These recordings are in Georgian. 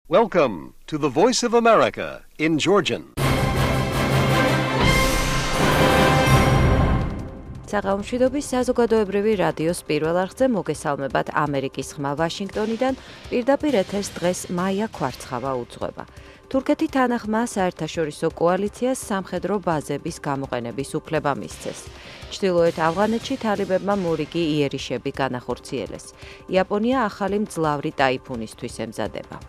Welcome to the Voice of America in Georgian. საღამოშვიდობის საზოგადოებრივი რადიოს პირველ არხზე მოგესალმებათ ამერიკის ხმა ვაშინგტონიდან. პირდაპირ ეთერს დღეს მაია ქვარცხავა უძღვება. თურქეთი თანახმა საერთაშორისო კოალიციას სამხედრო ბაზების გამოყენების უფლება მისცეს. ჩრდილოეთ ავღანეთში თალიბებმა მორიგი იერიშები განახორციელეს. იაპონია ახალი მძლავრი ტაიფუნისთვის ემზადება.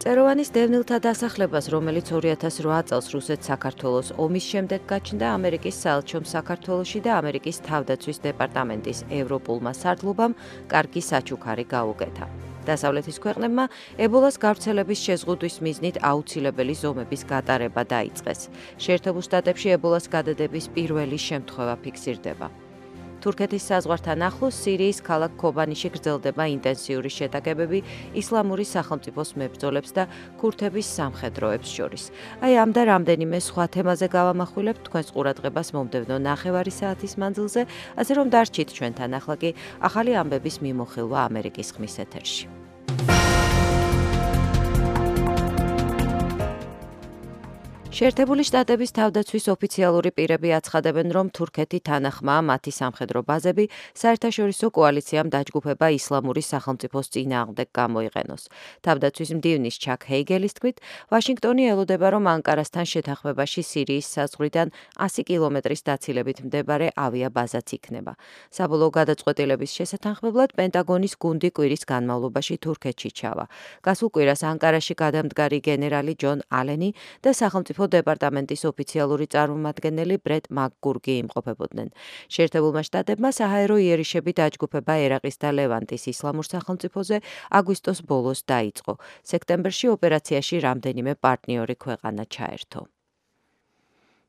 წეროვანის დევნილთა დასახლებას, რომელიც 2008 წელს რუსეთ-საქართველოს ომის შემდეგ გაჩნდა, ამერიკის საელჩომ საქართველოში და ამერიკის თავდაცვის დეპარტამენტის ევროპულმა სარდლობამ კარგი საჩუქარი გაუკეთა. დასავლეთის ქვეყნებმა ებოლას გავრცელების შეზღუდვის მიზნით აუცილებელი ზომების გატარება დაიწყეს. შეერთებულ შტატებში ებოლას გადადების პირველი შემთხვევა ფიქსირდება. თურქეთის საზღვართან ახლოს სირიის ქალაქ ქობანიში გრძელდება ინტენსიური შეტაკებები ისლამური სახელმწიფოს მებრძოლებს და ქურთების სამხედროებს შორის. ამ და რამდენიმე სხვა თემაზე გავამახვილებთ თქვენს ყურადღებას მომდევნო ნახევარი საათის მანძილზე, ასე რომ დარჩით ჩვენთან. ახლა კი ახალი ამბების მიმოხილვა ამერიკის ხმის ეთერში. შეერთებული შტატების თავდაცვის ოფიციალური პირები აცხადებენ, რომ თურქეთი თანახმაა მათი სამხედრო ბაზები საერთაშორისო კოალიციამ დაჯგუფება ისლამური სახელმწიფოს წინააღმდეგ გამოიყენოს. თავდაცვის მდივნის ჩაკ ჰეიგელის თქმით, ვაშინგტონი ელოდება, რომ ანკარასთან შეთანხმებაში სირიის საზღვრიდან 100 კილომეტრის დაცილებით მდებარე ავიაბაზაც იქნება. საბოლოო გადაწყვეტილების შესათანხმებლად პენტაგონის გუნდი კვირის განმავლობაში თურქეთში ჩავა. გასულ კვირას ანკარაში გადამდგარი გენერალი ჯონ ალენი და სახელმწიფო დეპარტამენტის ოფიციალური წარმომადგენელი ბრეტ მაკგურგი იმყოფებოდნენ. შეერთებულმა შტატებმა საჰაერო იერიშები დაჯგუფება ერაყის და ლევანტის ისლამურ სახელმწიფოზე აგვისტოს ბოლოს დაიწყო. სექტემბერში ოპერაციაში რამდენიმე პარტნიორი ქვეყანა ჩაერთო.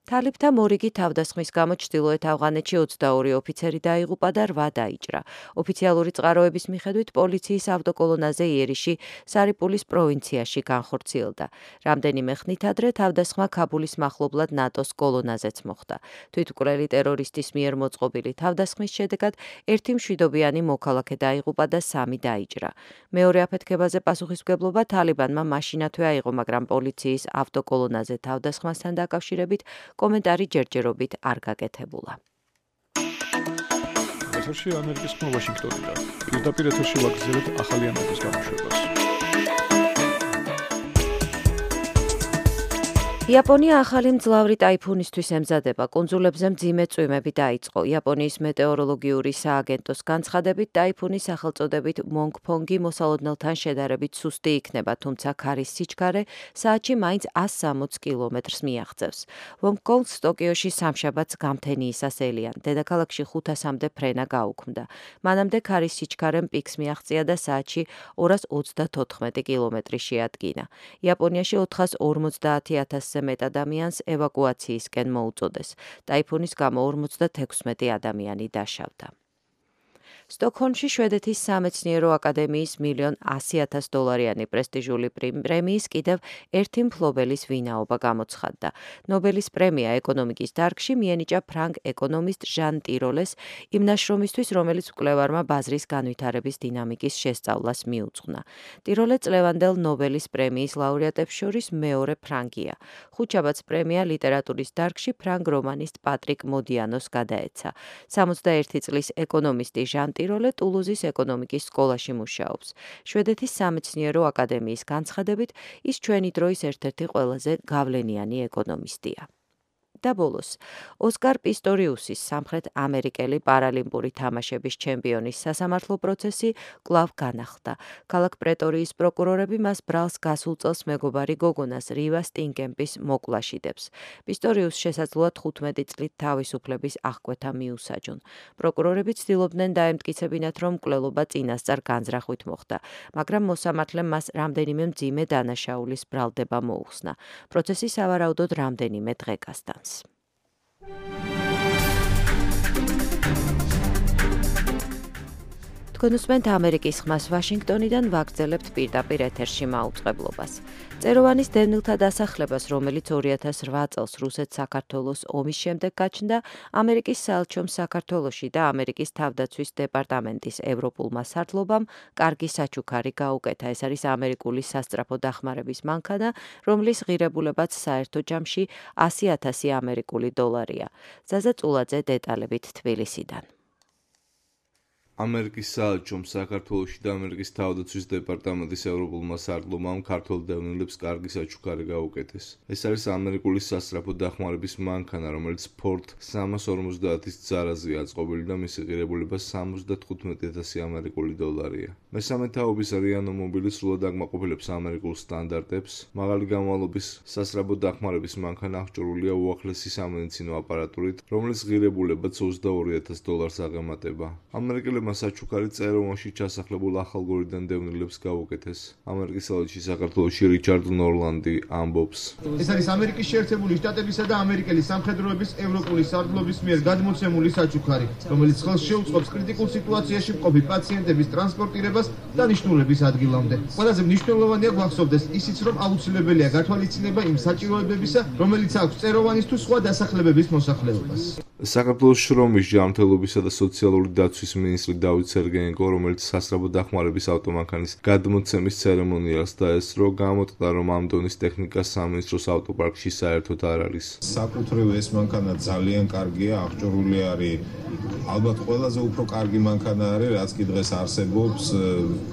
თალიბთა მორიგი თავდასხმის გამო ჩრდილოეთ ავღანეთში 22 ოფიცერი დაიღუპა და 8 დაიჭრა. ოფიციალური წყაროების მიხედვით პოლიციის ავტოკოლონაზე იერიში სარიპულის პროვინციაში განხორციელდა. რამდენიმე ხნით ადრე თავდასხმა ქაბულის მახლობლად ნატოს კოლონაზეც მოხდა. თვითმკვლელი ტერორისტის მიერ მოწყობილი თავდასხმის შედეგად ერთი მშვიდობიანი მოქალაქე დაიღუპა და 3 დაიჭრა. მეორე აფეთქებაზე პასუხისმგებლობა თალიბანმა მაშინათვე აიღო, მაგრამ პოლიციის ავტოკოლონაზე თავდასხმასთან დაკავშირებით კომენტარი ჯერჯერობით არ გაკეთებულა. ეთერში ამერიკის ხმა ვაშინგტონიდან. პირდაპირ ეთერში ვაგრძელებთ ახალი ამბების გამოშვებას. იაპონია ახალი მძლავრი ტაიფუნისთვის ემზადება. კუნძულებზე მძიმე წვიმები დაიწყო. იაპონიის მეტეოროლოგიური სააგენტოს განცხადებით, ტაიფუნის სახელწოდებით მონგფონგი მოსალოდნელთან შედარებით სუსტი იქნება, თუმცა ქარის სიჩქარე საათში მაინც 160 კილომეტრს მიაღწევს. მონგფონგს ტოკიოში სამშაბათს გამთენიისას ელიან. დედაქალაქში 500-მდე ფრენა გაუქმდა. მანამდე ქარის სიჩქარემ პიკს მიაღწია და საათში 234 კილომეტრი შეადგინა. იაპონიაში 450,000 მეტ ადამიანს ევაკუაციისკენ მოუწოდეს. ტაიფუნის გამო 56 ადამიანი დაშავდა. სტოკჰოლმში შვედეთის სამეცნიერო აკადემიის $1,100,000 პრესტიჟული პრემიის კიდევ ერთი მფლობელის ვინაობა გამოცხადდა. ნობელის პრემია ეკონომიკის დარგში მიენიჭა ფრანგ ეკონომისტ ჟან ტიროლეს იმ ნაშრომისთვის, რომელიც მკვლევარმა ბაზრის განვითარების დინამიკის შესწავლას მიუძღვნა. ტიროლე წლევანდელ ნობელის პრემიის ლაურეატებს შორის მეორე ფრანგია. ხუთშაბათს პრემია ლიტერატურის დარგში ფრანგ რომანისტ პატრიკ მოდიანოს გადაეცა. 61 წლის ეკონომისტი ჟან ტიროლე ტულუზის ეკონომიკის სკოლაში მუშაობს. შვედეთის სამეცნიერო აკადემიის განცხადებით, ის ჩვენი დროის ერთ-ერთი ყველაზე გავლენიანი ეკონომისტია. და ბოლოს, ოსკარ პისტორიუსის სამხრეთ ამერიკელი პარალიმპური თამაშების ჩემპიონის სასამართლო პროცესი კვლავ განახლდა. ქალაქ პრეტორიის პროკურორები მას ბრალს გასულ წელს მეგობარი გოგონას რივა სტინკემპის მოკვლა იდებს. პისტორიუსს შესაძლოა 15 წლით თავისუფლების აღკვეთა მიუსაჯონ. პროკურორები ცდილობდნენ დაემტკიცებინათ, რომ მკვლელობა წინასწარ განზრახვით მოხდა, მაგრამ მოსამართლემ მას რამდენიმე მძიმე დანაშაულის ბრალდება მოუხსნა. პროცესი სავარაუდოდ რამდენიმე დღე გასტანს. გონუსმენთ ამერიკის ხმას ვაშინგტონიდან ვაგრძელებთ პირდაპირ ეთერში მაუწყებლობას. წეროვანის დევნილთა დასახლებას, რომელიც 2008 წელს რუსეთ-საქართველოს ომის შემდეგ გაჩნდა, ამერიკის საელჩომ საქართველოში და ამერიკის თავდაცვის დეპარტამენტის ევროპულმა სარდლობამ კარგი საჩუქარი გაუკეთა. ეს არის ამერიკული სასწრაფო დახმარების მანქანა, რომლის ღირებულებაც საერთო ჯამში 100,000 ამერიკული დოლარია. ზაზა წულაძე დეტალებით თბილისიდან. ამერიკის საელჩომ საქართველოში და ამერიკის თავდაცვის დეპარტამენტის ევროპულმა სარდლობამ ქართველ დევნილებს კარგი საჩუქარი გაუკეთეს. ეს არის ამერიკული სასწრაფო დახმარების მანქანა, რომელიც Ford 350-ის ძარაზეა აწყობილი და მისი ღირებულება 75,000 ამერიკული დოლარია. მესამე თაობის რიანო მობილი სრულად აკმაყოფილებს ამერიკულ სტანდარტებს. მაღალი გამვალობის სასწრაფო დახმარების მანქანა აღჭურვილია უახლესი სამედიცინო აპარატურით, რომლის ღირებულებაც $22,000 აღემატება. ამერიკელებმა საჩუქარი წეროვანში ჩასახლებულ ახალგორიდან დევნილებს გაუკეთეს. ამერიკის საელჩი საქართველოში რიჩარდ ნორლანდი ამბობს. ეს არის ამერიკის შეერთებული შტატებისა და ამერიკელი სამხედროების ევროპული სარდლობის მიერ გადმოცემული საჩუქარი, რომელიც ხელს შეუწყობს კრიტიკულ სიტუაციაში მყოფი პაციენტების ტრანსპორტირებას დანიშნულების ადგილამდე. ყველაზე მნიშვნელოვანია გვახსოვდეს ისიც, რომ აუცილებელია გათვალისწინება იმ საჭიროებებისა, რომელიც აქვს წეროვანის თუ სხვა დასახლებების მოსახლეობას. საქართველოს შრომის ჯანმრთელობისა და სოციალური დაცვის მინისტრი დავით სერგეენკო, რომელიც სასწრაფო დახმარების ავტომანქანის გადმოცემის ცერემონიალს დაესწრო, გამოტყდა, რომ ამ დონის ტექნიკა სამინისტროს ავტოპარკში საერთოდ არ არის. საკუთრივ ეს მანქანა ძალიან კარგია, აღჭურვილი არის ალბათ ყველაზე უფრო კარგი მანქანა არის, რაც კი დღეს არსებობს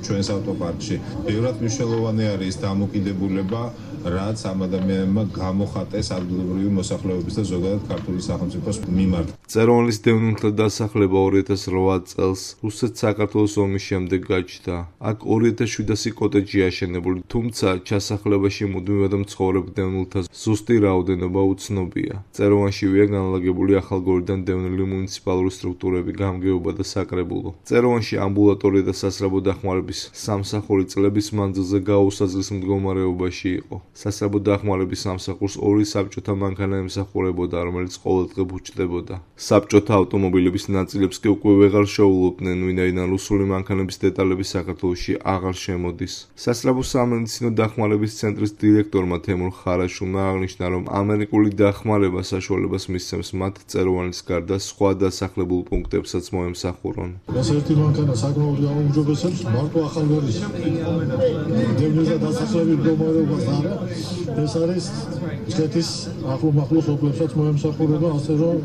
ჩვენს ავტოპარკში. ბევრად მნიშვნელოვანი არის დამოკიდებულება, რაც ამ ადამიანებმა გამოხატეს ადგილობრივი მოსახლეობის და ზოგადად ქართული სახელმწიფოს მიმართ. წეროვანის დევნილთა დასახლება 2008 წელს რუსეთ-საქართველოს ომის შემდეგ გაჩნდა. აქ 2700 კოტეჯია აშენებული, თუმცა ჩასახლებაში მუდმივად მცხოვრებ დევნილთა ზუსტი რაოდენობა უცნობია. წეროვანშივეა განლაგებული ახალგორიდან დევნილი მუნიციპალური სტრუქტურები, გამგეობა და საკრებულო. წეროვანში ამბულატორია და სასწრაფო დახმარების სამსახური წლების მანძილზე გაუსაძლის მდგომარეობაში იყო. სასწრაფო დახმარების სამსახურს 2 საბჭოთა მანქანა ემსახურებოდა, რომელიც ყოველდღე ბუჩდებოდა. საბჭოთა ავტომობილების ნაწილებს კი უკვე ვეღარ შეუვლობდნენ, ვინაიდან რუსული მანქანების დეტალები საქართველოში აღარ შემოდის. სასწრაფო სამედიცინო დახმარების ცენტრის დირექტორმა თემურ ხარაშუმმა აღნიშნა, რომ ამერიკული დახმარება საშუალებას მისცემს მათ წეროვანის გარდა სხვა დასახლებულ პუნქტებსაც მოემსახურონ. ეს ერთი მანქანა საკმაოდ გაუმჯობესებს მარტო ახალგორის დევნილთა დასახლების მდგომარეობას არა. ეს არის მცხეთის ახლო სოფლებსაც მოემსახურება, ასე რომ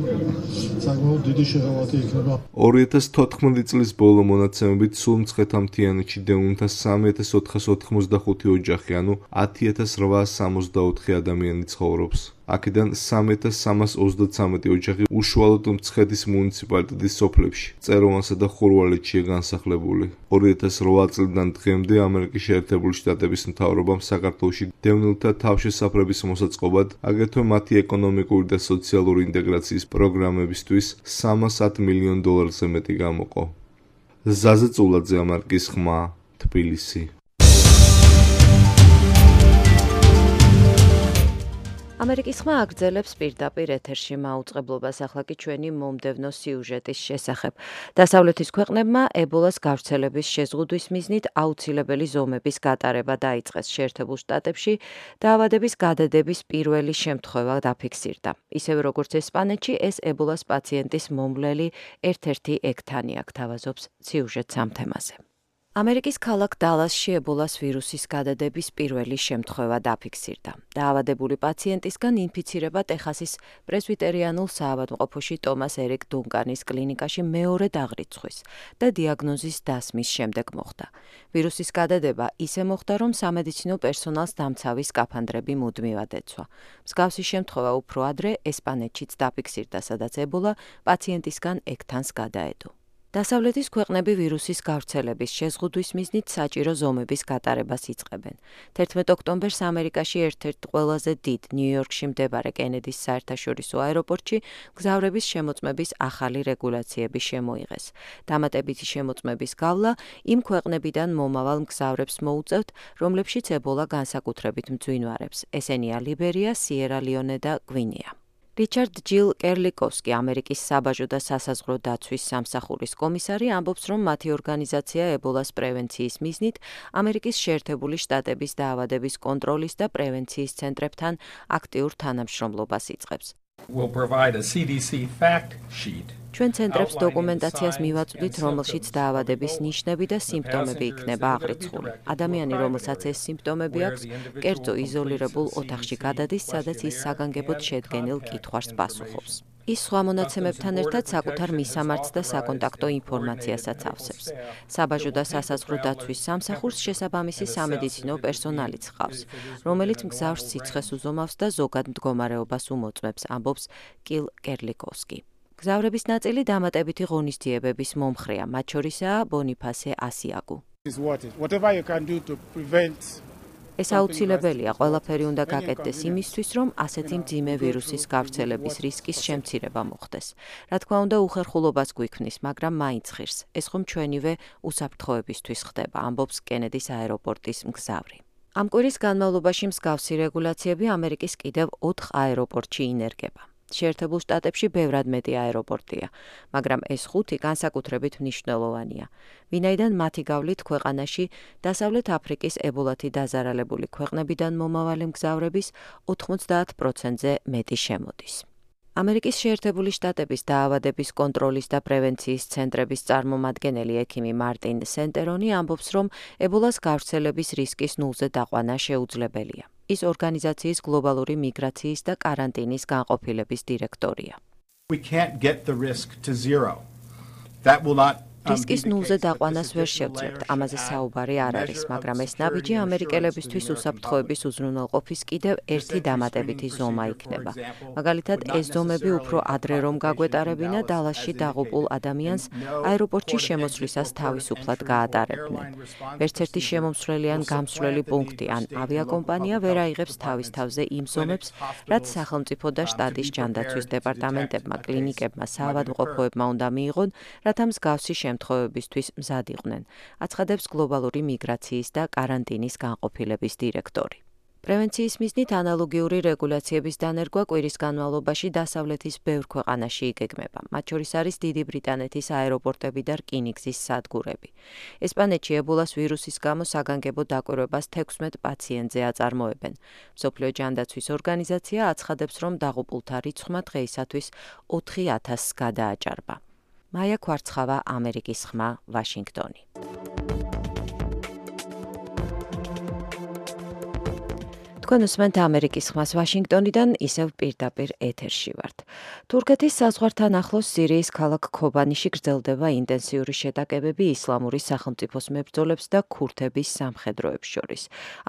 საკმაოდ დიდი შეღავათი იქნება. 2014 წლის ბოლო მონაცემებით სულ მცხეთა-მთიანეთში დევნილთა 3485 ოჯახი, ანუ 10864 ადამიანი ცხოვრობს. აქედან 3333 ოჯახი უშუალოდ მცხეთის მუნიციპალიტეტის სოფლებში, წეროვანსა და ხურვალეთშია განსახლებული. 2008 წლიდან დღემდე ამერიკის შეერთებული შტატების მთავრობამ საქართველოში დევნილთა თავშესაფრების მოსაწყობად, აგრეთვე მათი ეკონომიკური და სოციალური ინტეგრაციის პროგრამებისთვის $310 მილიონ მეტი გამოყო. ზაზა წულაძე, ამერიკის ხმა, თბილისი. ამერიკის ხმა აგრძელებს პირდაპირ ეთერში მაუწყებლობას, ახლა კი ჩვენი მომდევნო სიუჟეტის შესახებ. დასავლეთის ქვეყნებმა ებოლას გავრცელების შეზღუდვის მიზნით აუცილებელი ზომების გატარება დაიწყეს შეერთებულ შტატებში, დაავადების გადადების პირველი შემთხვევა დაფიქსირდა. ისევე როგორც ესპანეთში, ეს ებოლას პაციენტის მომვლელი ერთ-ერთი ექთანი აქ თავაზობს სიუჟეტს ამ თემაზე. ამერიკის ქალაქ დალასში ებოლას ვირუსის გადადების პირველი შემთხვევა დაფიქსირდა. დაავადებული პაციენტისგან ინფიცირება ტეხასის პრესვიტერიანულ საავადმყოფოში ტომას ერიკ დუნკანის კლინიკაში მეორედ აღრიცხვის და დიაგნოზის დასმის შემდეგ მოხდა. ვირუსის გადადება ისე მოხდა, რომ სამედიცინო პერსონალს დამცავი სკაფანდრები მუდმივად ეცვა. მსგავსი შემთხვევა უფრო ადრე ესპანეთშიც დაფიქსირდა, სადაც ებოლა პაციენტისგან ექთანს გადაედო. დასავლეთის ქვეყნები ვირუსის გავრცელების შეზღუდვის მიზნით საჭირო ზომების გატარებას იწყებენ. 11 ოქტომბერს ამერიკაში ერთ-ერთ ყველაზე დიდ ნიუ-იორკში მდებარე კენედის საერთაშორისო აეროპორტში მგზავრების შემოწმების ახალი რეგულაციები შემოიღეს. დამატებითი შემოწმების გავლა იმ ქვეყნებიდან მომავალ მგზავრებს მოუწევთ, რომლებშიც ებოლა განსაკუთრებით მძვინვარებს. ესენია ლიბერია, სიერა-ლეონე და გვინეა. რიჩარდ ჯილ კერლიკოვსკი, ამერიკის საბაჟო და სასაზღვრო დაცვის სამსახურის კომისარი, ამბობს, რომ მათი ორგანიზაცია ებოლას პრევენციის მიზნით ამერიკის შეერთებული შტატების დაავადების კონტროლის და პრევენციის ცენტრებთან აქტიურ თანამშრომლობას იწყებს. ჩვენ ცენტრებს დოკუმენტაციას მივაწვდით, რომელშიც დაავადების ნიშნები და სიმპტომები იქნება აღრიცხული. ადამიანი, რომელსაც ეს სიმპტომები აქვს, კერძო იზოლირებულ ოთახში გადადის, სადაც ის საგანგებოდ შედგენილ კითხვას პასუხობს. ის სხვა მონაცემებთან ერთად საკუთარ მისამართს და საკონტაქტო ინფორმაციასაც ავსებს. საბაჟო და სასაზღვრო დაცვის სამსახურს შესაბამისი სამედიცინო პერსონალიც ჰყავს, რომელიც მგზავრს სიცხეს უზომავს და ზოგად მდგომარეობას უმოწმებს, ამბობს კილ კერლიკოვსკი. მგზავრების ნაწილი დამატებითი ღონისძიებების მომხრეა, მათ შორისაა ბონიფასე ასიაგუ. ეს აუცილებელია, ყველაფერი უნდა გაკეთდეს იმისთვის, რომ ასეთი მძიმე ვირუსის გავრცელების რისკის შემცირება მოხდეს. რა თქმა უნდა, უხერხულობას გვიქმნის, მაგრამ მაინც ღირს. ეს ხომ ჩვენივე უსაფრთხოებისთვის ხდება, ამბობს კენედის აეროპორტის მგზავრი. ამ კვირის განმავლობაში მსგავსი რეგულაციები ამერიკის კიდევ 4 აეროპორტში ინერგება. შეერთებულ შტატებში ბევრად მეტი აეროპორტია, მაგრამ ეს 5 განსაკუთრებით მნიშვნელოვანია. ვინაიდან მათი გავლით ქვეყანაში დასავლეთ აფრიკის ებოლათი დაზარალებული ქვეყნებიდან მომავალი მგზავრების 90%-ზე მეტი შემოდის. ამერიკის შეერთებული შტატების დაავადების კონტროლის და პრევენციის ცენტრების წარმომადგენელი ექიმი მარტინ სენტერონი ამბობს, რომ ებოლას გავრცელების რისკის ნულზე დაყვანა შეუძლებელია. ის ორგანიზაციის გლობალური მიგრაციის და კარანტინის განყოფილების დირექტორია. რისკის ნულზე დაყვანას ვერ შევძლებთ, ამაზე საუბარი არ არის, მაგრამ ეს ნაბიჯი ამერიკელებისთვის უსაფრთხოების უზრუნველყოფის კიდევ ერთი დამატებითი ზომა იქნება. მაგალითად, ეს ზომები უფრო ადრე რომ გაგვეტარებინა, დალასში დაღუპულ ადამიანს აეროპორტში შემოსვლისას თავისუფლად გაატარებდნენ. ვერც ერთი შემომსვლელი ან გამსვლელი პუნქტი ან ავიაკომპანია ვერ აიღებს თავის თავზე იმ ზომებს, რაც სახელმწიფო და შტატის ჯანდაცვის დეპარტამენტებმა, კლინიკებმა, საავადმყოფოებმა უნდა მიიღონ, რათა მსგავსი შემთხვევებისთვის მზად იყვნენ, აცხადებს გლობალური მიგრაციის და კარანტინის განყოფილების დირექტორი. პრევენციის მიზნით ანალოგიური რეგულაციების დანერგვა კვირის განმავლობაში დასავლეთის ბევრ ქვეყანაში იგეგმება. მათ შორის არის დიდი ბრიტანეთის აეროპორტები და რკინიგზის სადგურები. ესპანეთში ებოლას ვირუსის გამო საგანგებო დაკვირვებას 16 პაციენტზე აწარმოებენ. მსოფლიო ჯანდაცვის ორგანიზაცია აცხადებს, რომ დაღუპულთა რიცხვმა დღეისათვის 4000-ს გადააჭარბა. მაია ქვარცხავა, ამერიკის ხმა, ვაშინგტონი. თქვენ უსმენთ ამერიკის ხმას ვაშინგტონიდან, ისევ პირდაპირ ეთერში ვართ. თურქეთის საზღვართან ახლოს სირიის ქალაქ ქობანიში გრძელდება ინტენსიური შეტაკებები ისლამური სახელმწიფოს მებრძოლებს და ქურთების სამხედროებს შორის.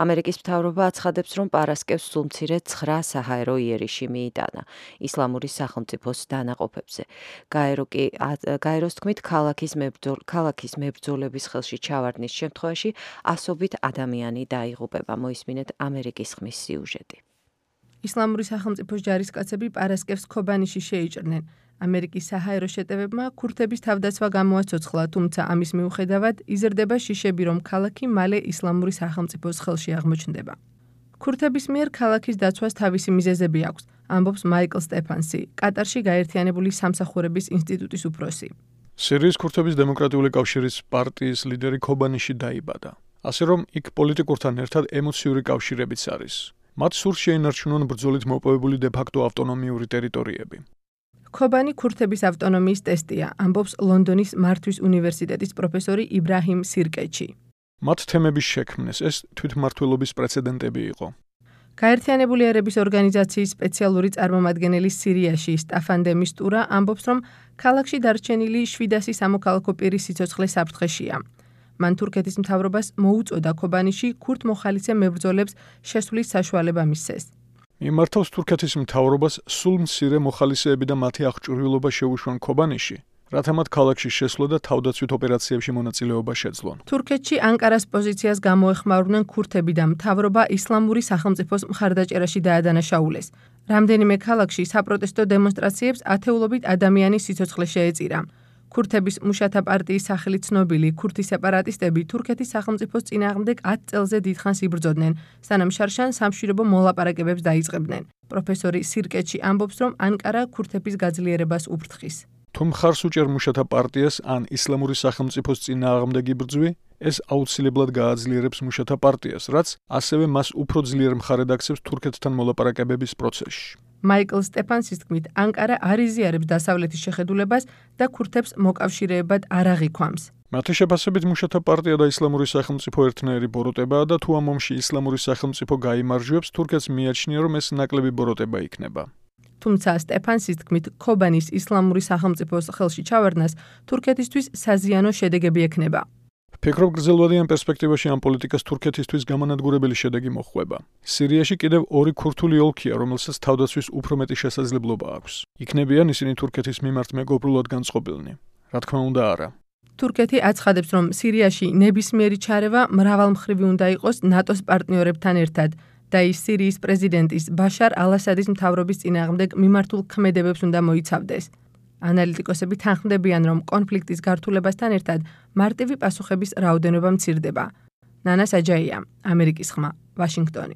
ამერიკის მთავრობა აცხადებს, რომ პარასკევს სულ მცირე 9 საჰაერო იერიში მიიტანა ისლამური სახელმწიფოს დანაყოფებზე. გაეროს თქმით, ქალაქის მებრძოლების ხელში ჩავარდნის შემთხვევაში ასობით ადამიანი დაიღუპება. მოისმინეთ ამერიკის ხმის სიუჟეტი. ისლამური სახელმწიფოს ჯარისკაცები პარასკევს ქობანიში შეიჭრნენ. ამერიკის საჰაერო შეტევებმა ქურთების თავდაცვა გამოაცოცხლა, თუმცა ამის მიუხედავად იზრდება შიშები, რომ ქალაქი მალე ისლამური სახელმწიფოს ხელში აღმოჩნდება. ქურთების მიერ ქალაქის დაცვას თავისი მიზეზები აქვს, ამბობს მაიკლ სტეფანსი, კატარში გაერთიანებული სამსახურების ინსტიტუტის უფროსი. სირიის ქურთების დემოკრატიული კავშირის პარტიის ლიდერი ქობანიში დაიბადა. ასე რომ იქ პოლიტიკურთან ერთად ემოციური კავშირებიც არის. მათ სურს შეინარჩუნონ ბრძოლით მოპოვებული დე-ფაქტო ავტონომიური ტერიტორიები. ქობანი ქურთების ავტონომიის ტესტია, ამბობს ლონდონის მართვის უნივერსიტეტის პროფესორი იბრაჰიმ სირკეჩი. მათ თემების შექმნეს ეს თვითმმართველობის პრეცედენტები იყო. გაერთიანებული ერების ორგანიზაციის სპეციალური წარმომადგენელი სირიაში სტაფან დე მისტურა ამბობს, რომ ქალაქში დარჩენილი 700 სამოქალაქო პირის სიცოცხლე საფრთხეშია. მან თურქეთის მთავრობას მოუწოდა ქობანიში ქურთ მოხალისე მებრძოლებს შესვლის საშუალება მისცეს. მიმართავს თურქეთის მთავრობას სულ მცირე მოხალისეები და მათი აღჭურვილობა შეუშვან ქობანიში, რათა მათ ქალაქში შესვლა და თავდაცვით ოპერაციებში მონაწილეობა შეძლონ. თურქეთში ანკარას პოზიციას გამოეხმაურნენ ქურთები და მთავრობა ისლამური სახელმწიფოს მხარდაჭერაში დაადანაშაულეს. რამდენიმე ქალაქში საპროტესტო დემონსტრაციებს ათეულობით ადამიანის სიცოცხლე შეეწირა. ქურთების მუშათა პარტიის სახელით ცნობილი ქურთი სეპარატისტები თურქეთის სახელმწიფოს წინააღმდეგ 10 წელზე დიდხანს იბრძოდნენ, სანამ შარშან სამშვიდობო მოლაპარაკებებს დაიწყებდნენ. პროფესორი სირკეთში ამბობს, რომ ანკარა ქურთების გაძლიერებას უფრთხის. თუ მხარს უჭერ მუშათა პარტიას ან ისლამური სახელმწიფოს წინააღმდეგ იბრძვი, ეს აუცილებლად გააძლიერებს მუშათა პარტიას, რაც ასევე მას უფრო ძლიერ მხარედ აქცევს თურქეთთან მოლაპარაკებების პროცესში. მაიკლ სტეფანსის თქმით, ანკარა არ იზიარებს დასავლეთის შეხედულებას და ქურთებს მოკავშირეებად არ აღიქვამს. მათი შეფასებით მუშათა პარტია და ისლამური სახელმწიფო ერთნაირი ბოროტებაა და თუ ამ ომში ისლამური სახელმწიფო გაიმარჯვებს, თურქეთს მიაჩნია, რომ ეს ნაკლები ბოროტება იქნება. თუმცა სტეფანსის თქმით, ქობანის ისლამური სახელმწიფოს ხელში ჩავარდნას თურქეთისთვის საზიანო შედეგები ექნება. ფიქრობ გრძელვადიან პერსპექტივაში ამ პოლიტიკას თურქეთისთვის გამანადგურებელი შედეგი მოჰყვება. სირიაში კიდევ 2 ქურთული ოლქია, რომელსაც თავდაცვის უფრო მეტი შესაძლებლობა აქვს. იქნებიან ისინი თურქეთის მიმართ მეგობრულად განწყობილნი. რა თქმა უნდა, არა. თურქეთი აცხადებს, რომ სირიაში ნებისმიერი ჩარევა მრავალმხრივი უნდა იყოს ნატოს პარტნიორებთან ერთად და ის სირიის პრეზიდენტის ბაშარ ალ-ასადის მთავრობის წინააღმდეგ მიმართულ ქმედებებს უნდა მოიცავდეს. ანალიტიკოსები თანხმდებიან, რომ კონფლიქტის გართულებასთან ერთად მარტივი პასუხების რაოდენობა მცირდება. ნანა საჯაია, ამერიკის ხმა, ვაშინგტონი.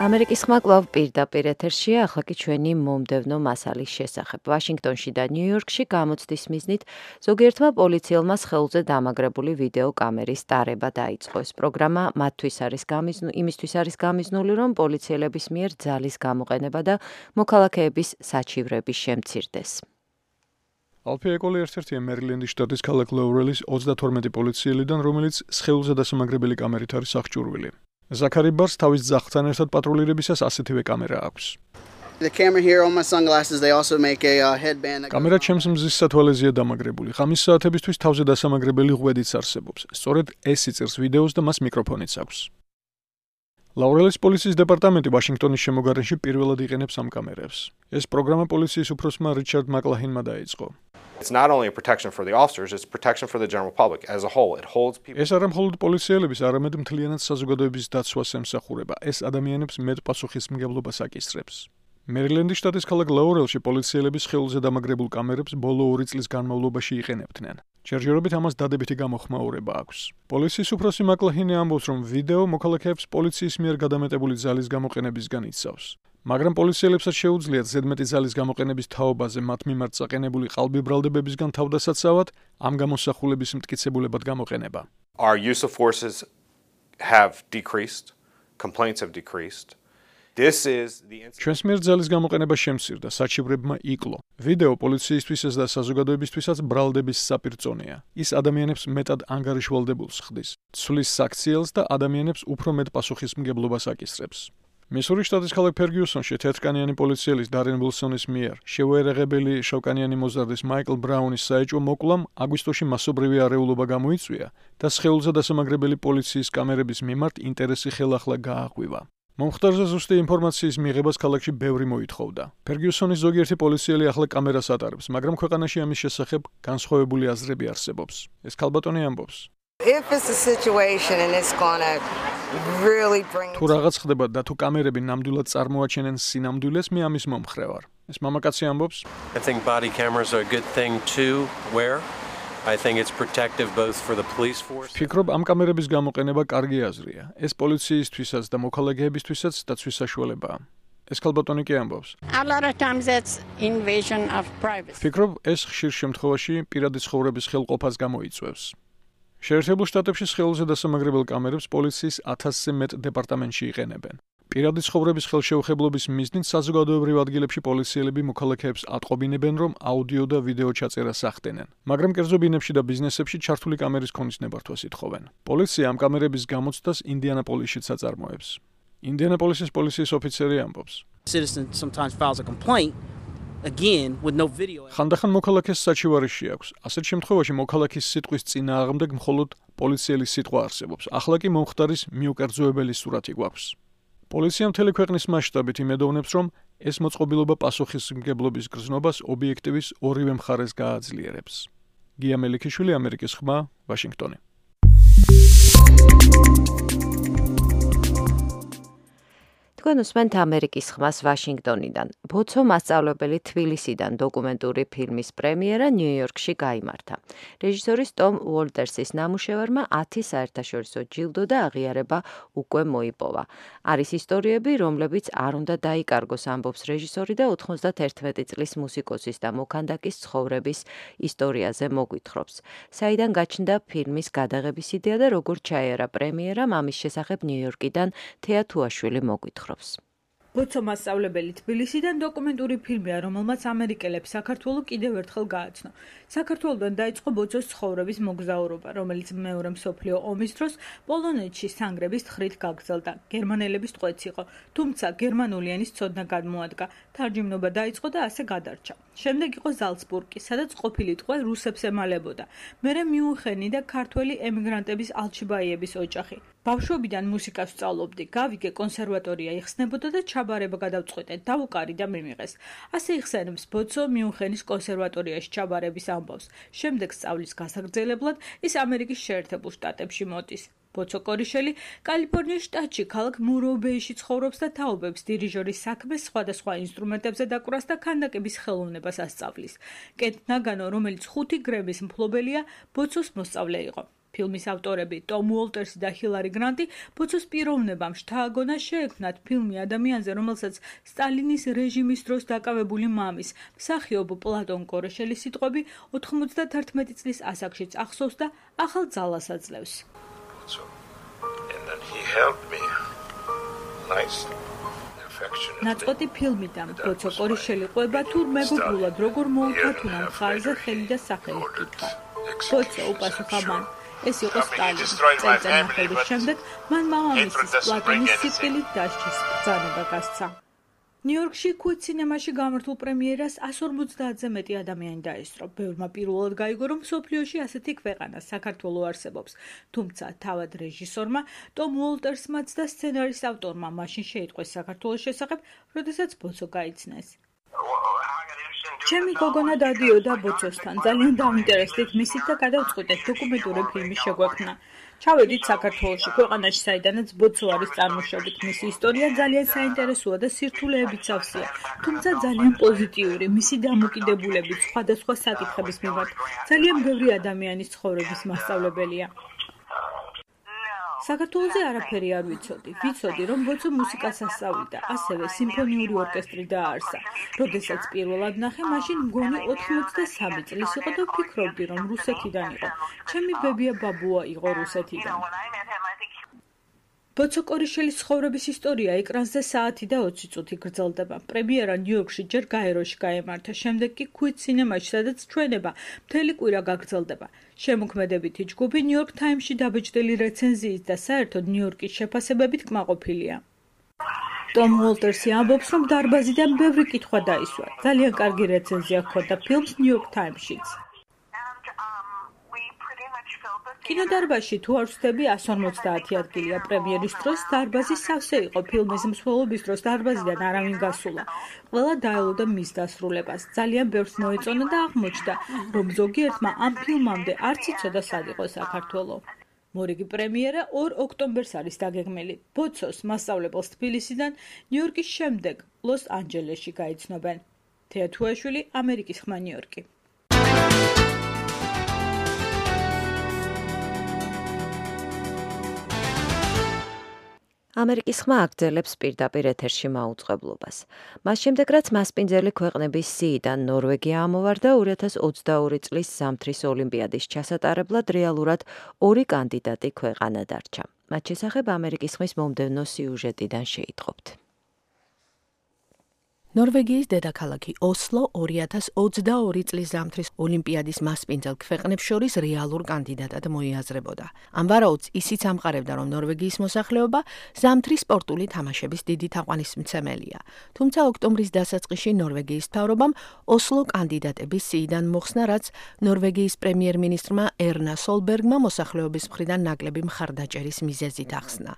ამერიკის ხმა კვლავ პირდაპირ ეთერშია, ახლა კი ჩვენი მომდევნო მასალის შესახებ. ვაშინგტონში და ნიუ-იორკში გამოცდის მიზნით ზოგიერთმა პოლიციელმა სხეულზე დამაგრებული ვიდეო კამერის ტარება დაიწყო. ეს პროგრამა იმისთვის არის გამიზნული, რომ პოლიციელების მიერ ძალის გამოყენება და მოქალაქეების საჩივრები შემცირდეს. ალფი ეკოლი ერთ-ერთია მერილენდის შტატის ქალაქ ლოურელის 32 პოლიციელიდან, რომელიც სხეულზე დასამაგრებელი კამერით არის აღჭურვილი. ზაქარი ბარს თავის ძაღლთან ერთად პატრულირებისას ასეთივე კამერა აქვს. კამერა ჩემს მზის სათვალეზეა დამაგრებული. ღამის საათებისთვის თავზე დასამაგრებელი ღვედიც არსებობს. სწორედ ეს იწერს ვიდეოს და მას მიკროფონიც აქვს. ლაურელის პოლიციის დეპარტამენტი ვაშინგტონის შემოგარენში პირველად იყენებს ამ კამერებს. ეს პროგრამა პოლიციის უფროსმა რიჩარდ მაკლაჰინმა დაიწყო. It's not only a protection for the officers, it's protection for the general public as a whole. It holds people. ეს არა მხოლოდ პოლიციელების, არამედ მთლიანად საზოგადოების დაცვას ემსახურება. ეს ადამიანებს მეტ პასუხისმგებლობას აკისრებს. მერილენდის შტატის ქალაქ ლაურელში პოლიციელები სხეულზე დამაგრებულ კამერებს ბოლო 2 წლის განმავლობაში იყენებდნენ. ჯერჯერობით ამას დადებითი გამოხმაურება აქვს. პოლიციის უფროსი მაკლაჰინი ამბობს, რომ ვიდეო მოქალაქეებს პოლიციის მიერ გადამეტებული ძალის გამოყენებისგან იცავს. მაგრამ პოლიციელებსაც შეუძლიათ ზედმეტი ძალის გამოყენების თაობაზე მათ მიმართ წაყენებული ყალბი ბრალდებებისგან თავდასაცავად ამ გამოსახულების მტკიცებულებად გამოყენება. Our use of forces have decreased, complaints have decreased. This is the ჩვენს მიერ ძალის გამოყენება შემცირდა, საჩივრებმა იკლო. ვიდეო პოლიციისთვისაც და საზოგადოებისთვისაც ბრალდების საპირწონეა. ის ადამიანებს მეტად ანგარიშვალდებულს ხდის, ცვლის საქციელს და ადამიანებს უფრო მეტ პასუხისმგებლობას აკისრებს. მისურის შტატის ქალაქ ფერგიუსონში თეთრკანიანი პოლიციელის დარენ ვილსონის მიერ შეუერაღებელი შავკანიანი მოზარდის მაიკლ ბრაუნის საეჭვო მოკვლამ აგვისტოში მასობრივი არეულობა გამოიწვია და სხეულზე დასამაგრებელი პოლიციის კამერების მიმართ ინტერესი ხელახლა გააღვივა. მომხდარზე ზუსტი ინფორმაციის მიღებას ქალაქში ბევრი მოითხოვდა. ფერგიუსონის ზოგიერთი პოლიციელი ახლა კამერას ატარებს, მაგრამ ქვეყანაში ამის შესახებ განსხვავებული აზრები არსებობს. ეს ქალბატონი ამბობს. If it's a situation and it's gonna really bring თუ რაღაც ხდება და თუ კამერები ნამდვილად წარმოაჩენენ სინამდვილეს, მე ამის მომხრე ვარ. ეს მამაკაცი ამბობს. I think body cameras are a good thing to wear. I think it's protective both for the police force. ფიქრობ, ამ კამერების გამოყენება კარგი აზრია. ეს პოლიციისთვისაც და მოქალაქეებისთვისაც დაცვის საშუალებაა. ეს ქალბატონი კი ამბობს. A lot of times that's invasion of privacy. ფიქრობ, ეს ხშირ შემთხვევაში პირადი ცხოვრების ხელყოფას გამოიწვევს. შეერთებულ შტატებში სხეულზე დასამაგრებელ კამერებს პოლიციის 1000-ზე მეტ დეპარტამენტში იყენებენ. პირადი ცხოვრების ხელშეუხებლობის მიზნით საზოგადოებრივ ადგილებში პოლიციელები მოქალაქეებს ატყობინებენ, რომ აუდიო და ვიდეო ჩაწერას ახდენენ. მაგრამ კერძო ბინებში და ბიზნესებში ჩართული კამერის ქონის ნებართვას ითხოვენ. პოლიცია ამ კამერების გამოცდას ინდიანაპოლისშიც აწარმოებს. ინდიანაპოლისის პოლიციის ოფიცერი ამბობს. Citizen sometimes files a complaint again with no video. ხანდახან მოქალაქეს საჩივარიში აქვს. ასეთ შემთხვევაში მოქალაქის სიტყვის წინააღმდეგ მხოლოდ პოლიციელის სიტყვა არსებობს. ახლა კი მომხდარის მიუკერძოებელი სურათი გვაქვს. პოლიცია მთელი ქვეყნის მასშტაბით იმედოვნებს, რომ ეს მოწყობილობა პასუხისმგებლობის გრძნობას ობიექტივის ორივე მხარეს გააძლიერებს. გია მელიქიშვილი, ამერიკის ხმა, ვაშინგტონი. თქვენ უსმენთ ამერიკის ხმას ვაშინგტონიდან. ბოცო მასწავლებელი თბილისიდან დოკუმენტური ფილმის პრემიერა ნიუ-იორკში გაიმართა. რეჟისორის ტომ უოლტერსის ნამუშევარმა 10 საერთაშორისო ჯილდო და აღიარება უკვე მოიპოვა. არის ისტორიები, რომლებიც არ უნდა დაიკარგოს, ამბობს რეჟისორი და 91 წლის მუსიკოსის და მოქანდაკის ცხოვრების ისტორიაზე მოგვითხრობს. საიდან გაჩნდა ფილმის გადაღების იდეა და როგორ ჩაიარა პრემიერამ, ამის შესახებ ნიუ-იორკიდან თეა თუაშვილი მოგვითხრობს. ბოცო მასწავლებელი თბილისიდან დოკუმენტური ფილმია, რომელმაც ამერიკელებს საქართველოს კიდევ ერთხელ გააცნო. საქართველოსთან დაიწყო ბოცოს ცხოვრების მოგზაურობა, რომელიც მეორე მსოფლიო ომის დროს პოლონეთში სანგრების თხრით გაგრძელდა. გერმანელების ტყვეც იყო, თუმცა გერმანული ენის ცოდნა გადმოადგა. თარჯიმნობა დაიწყო და ასე გადარჩა. შემდეგ იყო ზალცბურგი, სადაც ყოფილი ტყვე რუსებს ემალებოდა. მერე მიუნხენი და ქართველი ემიგრანტების ალჩიბაიების ოჯახი. ბავშვობიდან მუსიკას სწავლობდი, გავიგე კონსერვატორია იხსნებოდა და ჩაბარება გადავწყვიტე, დავუკარი და მიმიღეს. ასე იხსენებს ბოცო მიუნხენის კონსერვატორიაში ჩაბარების ამბავს. შემდეგ სწავლის გასაგრძელებლად ის ამერიკის შეერთებულ შტატებში მოდის. ბოცო კორიშელი კალიფორნიის შტატში ქალაქ მუროვბეიში ცხოვრობს და თაობებს დირიჟორის საქმეს, სხვადასხვა ინსტრუმენტებზე დაკვრას და ქანდაკების ხელოვნებას ასწავლის. კენტ ნაგანო, რომელიც 5 გრემის მფლობელია, ბოცოს მოსწავლე იყო. ფილმის ავტორები ტომ უოლტერსი და ჰილარი გრანტი ბოცოს პიროვნებამ შთააგონა შეექმნათ ფილმი ადამიანზე, რომელსაც სტალინის რეჟიმის დროს დაკავებული მამის, მსახიობ პლატონ კორიშელის სიტყვები 91 წლის ასაკშიც ახსოვს და ახალ ძალას აძლევს. ნაწყვეტი ფილმიდან ბოცო კორიშელი ყვება თუ მეგობრულად როგორ მოუთათუნა მხარზე ხელი და სახელი ჰკითხა. ბოცო უპასუხა მან, ეს იყო სტალინი. წელწადების შემდეგ მან მამამისის პლატონის სიკვდილით დასჯის ბრძანება გასცა. ნიუ-იორკში ქუით სინემაში გამართულ პრემიერას 150-ზე მეტი ადამიანი დაესწრო. ბევრმა პირველად გაიგო, რომ მსოფლიოში ასეთი ქვეყანა საქართველოს არსებობს. თუმცა თავად რეჟისორმა ტომ უოლტერსმაც და სცენარის ავტორმა მაშინ შეიტყვეს საქართველოს შესახებ, როდესაც ბოცო გაიცნეს. ჩემი გოგონა დადიოდა ბოცოსთან, ძალიან დავინტერესდით მისით და გადავწყვიტეთ დოკუმენტური ფილმი შეგვექმნა. ჩავედით საქართველოში, ქვეყანაში, საიდანაც ბოცო არის წარმოშობით. მისი ისტორია ძალიან საინტერესოა და სირთულეებით სავსეა, თუმცა ძალიან პოზიტიური, მისი დამოკიდებულებით სხვადასხვა საკითხების მიმართ. ძალიან ბევრი ადამიანის ცხოვრების მასწავლებელია. საქართველოზე არაფერი არ ვიცოდი. ვიცოდი, რომ ბოცო მუსიკას ასწავლიდა, ასევე სიმფონიური ორკესტრი დააარსა. როდესაც პირველად ნახე, მაშინ მგონი 83 წლის იყო და ვფიქრობდი, რომ რუსეთიდან იყო. ჩემი ბებია ბაბუა იყო რუსეთიდან. ბოცო კორიშელის ცხოვრების ისტორია ეკრანზე საათი და 20 წუთი გრძელდება. პრემიერა ნიუ-იორკში, ჯერ გაეროში გაემართა, შემდეგ კი ქუით სინემაში, სადაც ჩვენება მთელი კვირა გაგრძელდება. შემოქმედებითი ჯგუფი ნიუ-იორკ თაიმსში დაბეჭდილი რეცენზიით და საერთოდ ნიუ-იორკის შეფასებებით კმაყოფილია. ტომ უოლტერსი ამბობს, რომ დარბაზიდან ბევრი კითხვა დაისვა. ძალიან კარგი რეცენზია ჰქონდა ფილმს ნიუ-იორკ თაიმსშიც. კინოდარბაზში თუ არ ვცდები 150 ადგილია. პრემიერის დროს დარბაზი სავსე იყო. ფილმის მსვლელობის დროს დარბაზიდან არავინ გასულა. ყველა დაელოდა მის დასრულებას. ძალიან ბევრს მოეწონა და აღმოჩნდა, რომ ზოგიერთმა ამ ფილმამდე არც იცოდა სად იყო საქართველო. მორიგი პრემიერა 2 ოქტომბერს არის დაგეგმილი. ბოცოს მასწავლებელს თბილისიდან ნიუ-იორკის შემდეგ ლოს-ანჯელესში გაიცნობენ. თეა თუაშვილი, ამერიკის ხმა, ნიუ-იორკი. ამერიკის ხმა აგრძელებს პირდაპირ ეთერში მაუწყებლობას. მას შემდეგ, რაც მასპინძელი ქვეყნების სიიდან ნორვეგია ამოვარდა 2022 წლის ზამთრის ოლიმპიადის ჩასატარებლად რეალურად 2 კანდიდატი ქვეყანა დარჩა. მათ შესახებ ამერიკის ხმის მომდევნო სიუჟეტიდან შეიტყობთ. ნორვეგიის დედაქალაქი ოსლო 2022 წლის ზამთრის ოლიმპიადის მასპინძელ ქვეყნებს შორის რეალურ კანდიდატად მოიაზრებოდა. ამ ვარაუდს ისიც ამყარებდა, რომ ნორვეგიის მოსახლეობა ზამთრის სპორტული თამაშების დიდი თაყვანისმცემელია. თუმცა ოქტომბრის დასაწყისში ნორვეგიის მთავრობამ ოსლო კანდიდატების სიიდან მოხსნა, რაც ნორვეგიის პრემიერ-მინისტრმა ერნა სოლბერგმა მოსახლეობის მხრიდან ნაკლები მხარდაჭერის მიზეზით ახსნა.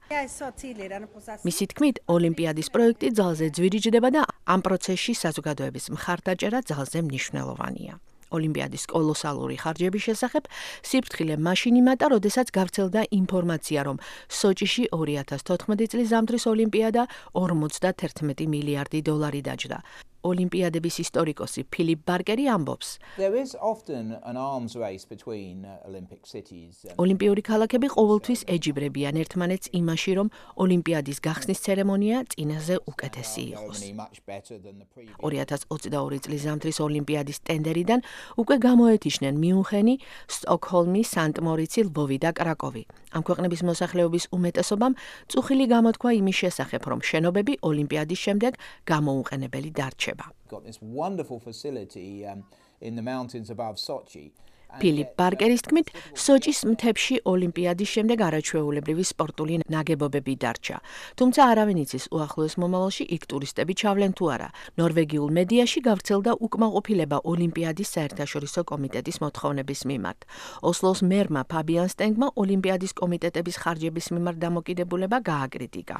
მისი თქმით, ოლიმპიადის პროექტი ძალზე ძვირიჯდება და ამ პროცესში საზოგადოების მხარდაჭერა ძალზე მნიშვნელოვანია. ოლიმპიადის კოლოსალური ხარჯების შესახებ სიფრთხილე მაშინ იმატა, როდესაც გავრცელდა ინფორმაცია, რომ სოჭიში 2014 წლის ზამთრის ოლიმპიადა 51 მილიარდი დოლარი დაჯდა. ოლიმპიადების ისტორიკოსი ფილიპ ბარკერი ამბობს. ოლიმპიური ქალაქები ყოველთვის ეჯიბრებიან ერთმანეთს იმაში, რომ ოლიმპიადის გახსნის ცერემონია წინაზე უკეთესი იყოს. 2022 წლის ზამთრის ოლიმპიადის ტენდერიდან უკვე გამოეთიშნენ მიუნხენი, სტოკჰოლმი, სანტ-მორიცი, ლვოვი და კრაკოვი. ამ ქვეყნების მოსახლეობის უმეტესობამ წუხილი გამოთქვა იმის შესახებ, რომ შენობები ოლიმპიადის შემდეგ გამოუყენებელი დარჩება. Got this wonderful facility in the mountains above Sochi. ფილიპ ბარკერის თქმით, სოჭის მთებში ოლიმპიადის შემდეგ არაჩვეულებრივი სპორტული ნაგებობები დარჩა. თუმცა არავინ იცის უახლოეს მომავალში იქ ტურისტები ჩავლენ თუ არა. ნორვეგიულ მედიაში გავრცელდა უკმაყოფილება ოლიმპიადის საერთაშორისო კომიტეტის მოთხოვნების მიმართ. ოსლოს მერმა ფაბიან სტენგმა ოლიმპიადის კომიტეტების ხარჯების მიმართ დამოკიდებულება გააკრიტიკა.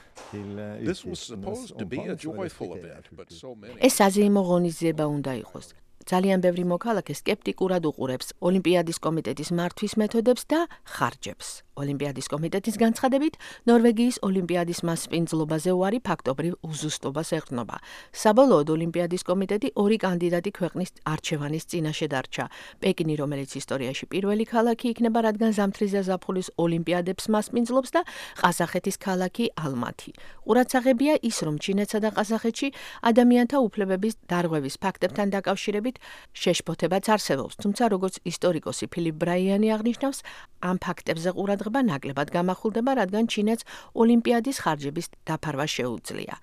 ეს საზეიმო ღონისძიება უნდა იყოს. ძალიან ბევრი მოქალაქე სკეპტიკურად უყურებს ოლიმპიადის კომიტეტის მართვის მეთოდებს და ხარჯებს. ოლიმპიადის კომიტეტის განცხადებით, ნორვეგიის ოლიმპიადის მასპინძლობაზე უარი ფაქტობრივ უზუსტობას ეყრდნობა. საბოლოოდ ოლიმპიადის კომიტეტი ორი კანდიდატი ქვეყნის არჩევანის წინაშე დარჩა. პეკინი, რომელიც ისტორიაში პირველი ქალაქი იქნება, რადგან ზამთრის ზაფხულის ოლიმპიადებს მასპინძლობს და ყაზახეთის ქალაქი ალმათი. ყურადსაღებია ის, რომ ჩინეთსა და ყაზახეთში ადამიანთა უფლებების დარღვევის ფაქტებთან დაკავშირებით შეშფოთებაც არსებობს, თუმცა როგორც ისტორიკოსი ფილიპ ბრაიანი აღნიშნავს, ამ ფაქტებზე ყურადღება ნაკლებად გამახვილდება, რადგან ჩინეთს ოლიმპიადის ხარჯების დაფარვა შეუძლია.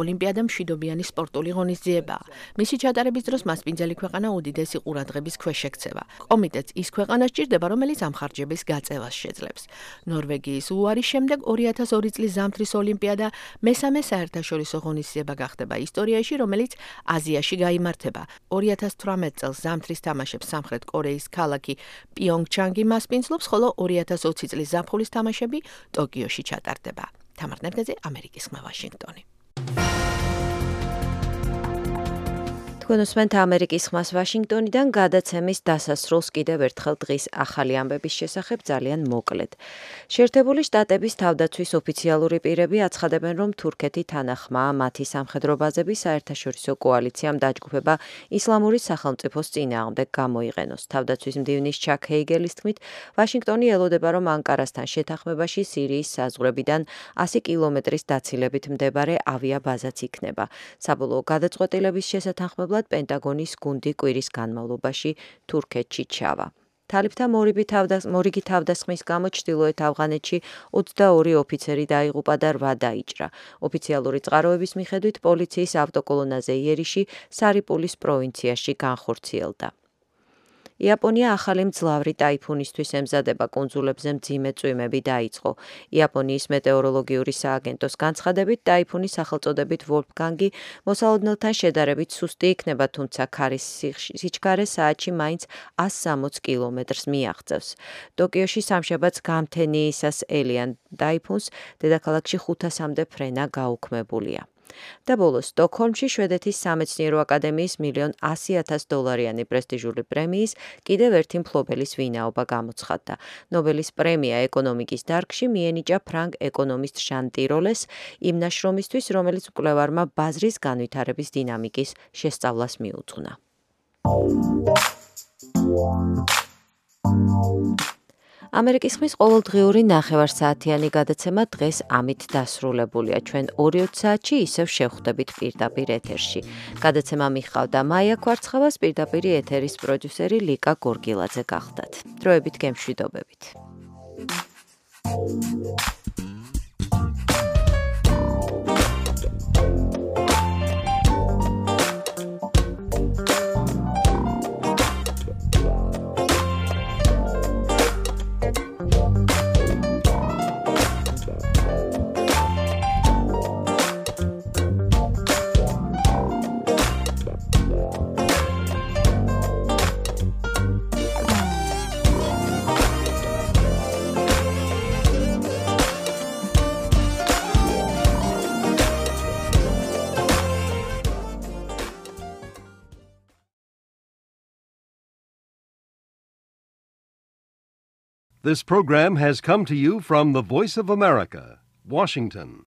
ოლიმპიადა მშვიდობიანი სპორტული ღონისძიებაა. მისი ჩატარების დროს მასპინძელი ქვეყანა უდიდესი ყურადღების ქვეშ ექცევა. კომიტეტს ის ქვეყანა სჭირდება, რომელიც ამ ხარჯების გაწევას შეძლებს. ნორვეგიის უარის შემდეგ 2002 წლის ზამთრის ოლიმპიადა მესამე საერთაშორისო ღონისძიება გახდება ისტორიაში, რომელიც აზიაში გაიმართება. 2018 წელს ზამთრის თამაშებს სამხრეთ კორეის ქალაქი პიონგჩანგი მასპინძლობს, ხოლო 2020 წლის ზაფხულის თამაშები ტოკიოში ჩატარდება. თამარ ნებგაძე, ამერიკის ხმა, ვაშინგტონი. თქვენ უსმენთ ამერიკის ხმას ვაშინგტონიდან გადაცემის დასასრულს კიდევ ერთხელ დღის ახალი ამბების შესახებ ძალიან მოკლედ. შეერთებული შტატების თავდაცვის ოფიციალური პირები აცხადებენ, რომ თურქეთი თანახმაა მათი სამხედრო ბაზების საერთაშორისო კოალიციამ დაჯგუფება ისლამური სახელმწიფოს წინააღმდეგ გამოიყენოს. თავდაცვის მდივნის ჩაკ ჰეიგელის თქმით, ვაშინგტონი ელოდება, რომ ანკარასთან შეთანხმებაში სირიის საზღვრებიდან 100 კილომეტრის დაცილებით მდებარე ავიაბაზაც იქნება. საბოლოო გადაწყვეტილების შესათანხმებლად პენტაგონის გუნდი კვირის განმავლობაში თურქეთში ჩავა. თალიფთა მორიგი თავდასხმის გამო ჩრდილოეთ ავღანეთში 22 ოფიცერი დაიღუპა და 8 დაიჭრა. ოფიციალური წყაროების მიხედვით პოლიციის ავტოკოლონაზე იერიში სარიპულის პროვინციაში განხორციელდა. იაპონია ახალი მძლავრი ტაიფუნისთვის ემზადება, კუნძულებზე მძიმე წვიმები დაიწყო. იაპონიის მეტეოროლოგიური სააგენტოს განცხადებით, ტაიფუნის სახელწოდებით ვოლფგანგი მოსალოდნელთან შედარებით სუსტი იქნება, თუმცა ქარის სიჩქარე საათში მაინც 160 კილომეტრს მიაღწევს. ტოკიოში სამშაბათს გამთენიისას ელიან ტაიფუნს დედაქალაქში 500-მდე ფრენა გაუქმებულია. და ბოლოს სტოკჰოლმში შვედეთის სამეცნიერო აკადემიის $1,100,000 პრესტიჟული პრემიის კიდევ ერთი მფლობელის ვინაობა გამოცხადდა. ნობელის პრემია ეკონომიკის დარგში მიენიჭა ფრანგ ეკონომისტ ჟან ტიროლეს იმ ნაშრომისთვის, რომელიც მკვლევარმა ბაზრის განვითარების დინამიკის შესწავლას მიუძღვნა. ამერიკის ხმის ყოველდღიური ნახევარსაათიანი გადაცემა დღეს ამით დასრულებულია. ჩვენ 2 საათში ისევ შევხვდებით პირდაპირ ეთერში. გადაცემა მიხავდა მაია კვარცხავას, პირდაპირ ეთერის პროდიუსერი ლიკა გორგილაძე გახდათ. დროებით გემშვიდობებით. This program has come to you from the Voice of America, Washington.